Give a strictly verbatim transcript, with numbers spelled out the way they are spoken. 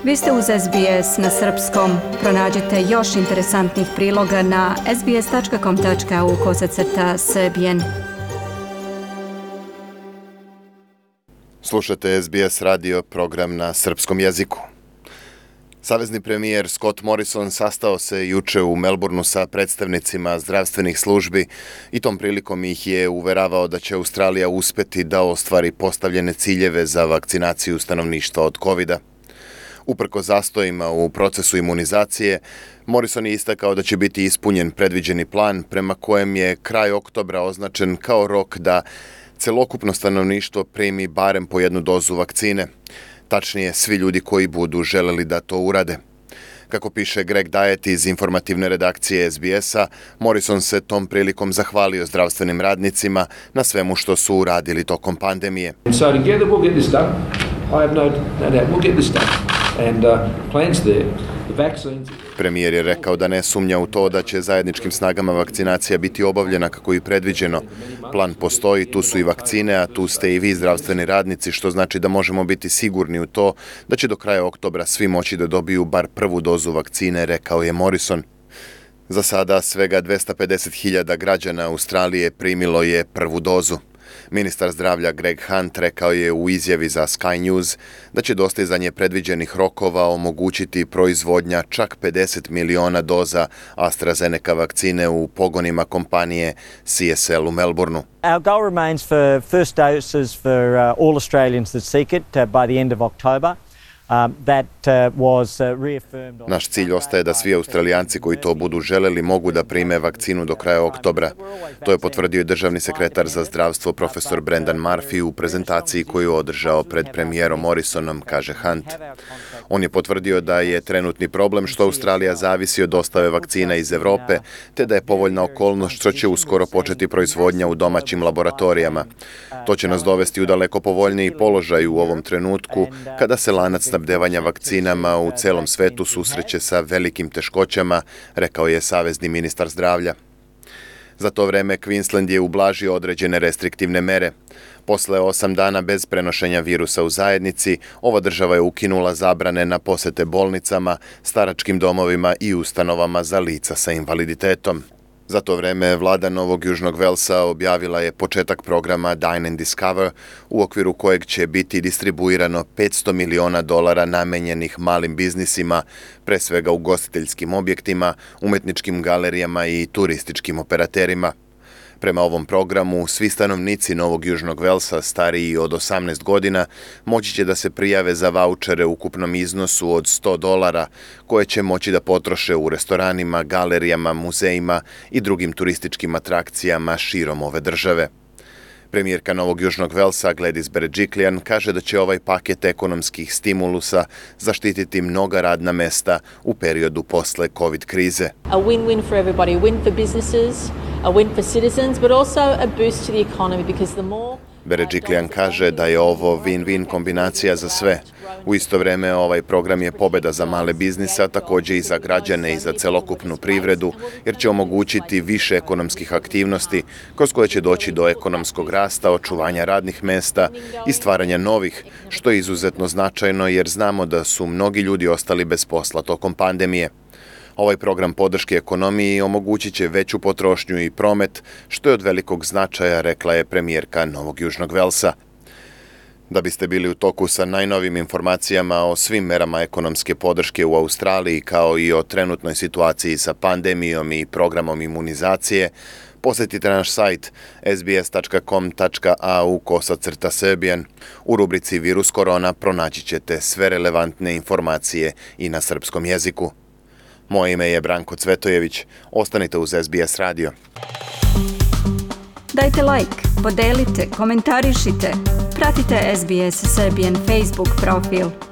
Vi ste uz S B S na srpskom. Pronađite još interesantnih priloga na sbs.com.au kosacrta srbijen. Slušate S B S radio, program na srpskom jeziku. Savezni premijer Scott Morrison sastao se juče u Melbourneu sa predstavnicima zdravstvenih službi i tom prilikom ih je uveravao da će Australija uspeti da ostvari postavljene ciljeve za vakcinaciju stanovništva od kovida. Uprko zastojima u procesu imunizacije, Morrison je istakao da će biti ispunjen predviđeni plan prema kojem je kraj oktobra označen kao rok da celokupno stanovništvo primi barem po jednu dozu vakcine. Tačnije, svi ljudi koji budu želeli da to urade. Kako piše Greg Diet iz informativne redakcije S B S-a, Morrison se tom prilikom zahvalio zdravstvenim radnicima na svemu što su uradili tokom pandemije. So together we'll get this done. I have no, no doubt we'll get this done. And uh, plans there. The vaccines. Premijer je rekao da ne sumnja u to da će zajedničkim snagama vakcinacija biti obavljena kako je predviđeno. Plan postoji, tu su i vakcine, a tu ste i vi zdravstveni radnici, što znači da možemo biti sigurni u to da će do kraja oktobra svi moći da dobiju bar prvu dozu vakcine, rekao je Morrison. Za sada svega dvesta pedeset hiljada građana Australije primilo je prvu dozu. Ministar zdravlja Greg Hunt rekao je u izjavi za Sky News da će dostizanje predviđenih rokova omogućiti proizvodnja čak pedeset miliona doza AstraZeneca vakcine u pogonima kompanije C S L u Melbourneu. Our goal remains for first doses for uh, all Australians that seek it uh, by the end of October. Um, that, uh, was, uh, reaffirmed on... Naš cilj ostaje da svi Australijanci koji to budu želeli mogu da prime vakcinu do kraja oktobra. To je potvrdio i državni sekretar za zdravstvo profesor Brendan Murphy u prezentaciji koju je održao pred premijerom Morrisonom, kaže Hunt. On je potvrdio da je trenutni problem što Australija zavisi od dostave vakcina iz Evrope, te da je povoljna okolnost što će uskoro početi proizvodnja u domaćim laboratorijama. To će nas dovesti u daleko povoljniji položaj u ovom trenutku, kada se lanac snabdevanja vakcinama u celom svetu susreće sa velikim teškoćama, rekao je savezni ministar zdravlja. Za to vreme Queensland je ublažio određene restriktivne mere. Posle osam dana bez prenošenja virusa u zajednici, ova država je ukinula zabrane na posete bolnicama, staračkim domovima i ustanovama za lica sa invaliditetom. Za to vreme vlada Novog Južnog Velsa objavila je početak programa Dine and Discover, u okviru kojeg će biti distribuirano petsto miliona dolara namenjenih malim biznisima, pre svega ugostiteljskim objektima, umetničkim galerijama i turističkim operaterima. Prema ovom programu, svi stanovnici Novog Južnog Velsa stariji od osamnaest godina moći će da se prijave za vaučere u ukupnom iznosu od sto dolara, koje će moći da potroše u restoranima, galerijama, muzejima i drugim turističkim atrakcijama širom ove države. Premijerka Novog Južnog Velsa Gladys Berejiklian kaže da će ovaj paket ekonomskih stimulusa zaštititi mnoga radna mesta u periodu posle COVID krize. A win-win for everybody, a win for businesses, a win for citizens, but also a boost to the economy because the more Berejiklian kaže da je ovo win-win kombinacija za sve. U isto vreme ovaj program je pobeda za male biznise, a također i za građane i za celokupnu privredu, jer će omogućiti više ekonomskih aktivnosti, kroz koje će doći do ekonomskog rasta, očuvanja radnih mesta i stvaranja novih, što je izuzetno značajno jer znamo da su mnogi ljudi ostali bez posla tokom pandemije. Ovaj program podrške ekonomiji omogućit će veću potrošnju i promet, što je od velikog značaja, rekla je premijerka Novog Južnog Velsa. Da biste bili u toku sa najnovim informacijama o svim merama ekonomske podrške u Australiji, kao i o trenutnoj situaciji sa pandemijom i programom imunizacije, posjetite naš sajt s b s tačka com tačka a u kosacrta srbijen. U rubrici Virus korona pronaći ćete sve relevantne informacije i na srpskom jeziku. Moje ime je Branko Cvetojević. Ostanite uz S B S radio. Dajte like, podelite, komentarišite. Pratite S B S Serbian Facebook profil.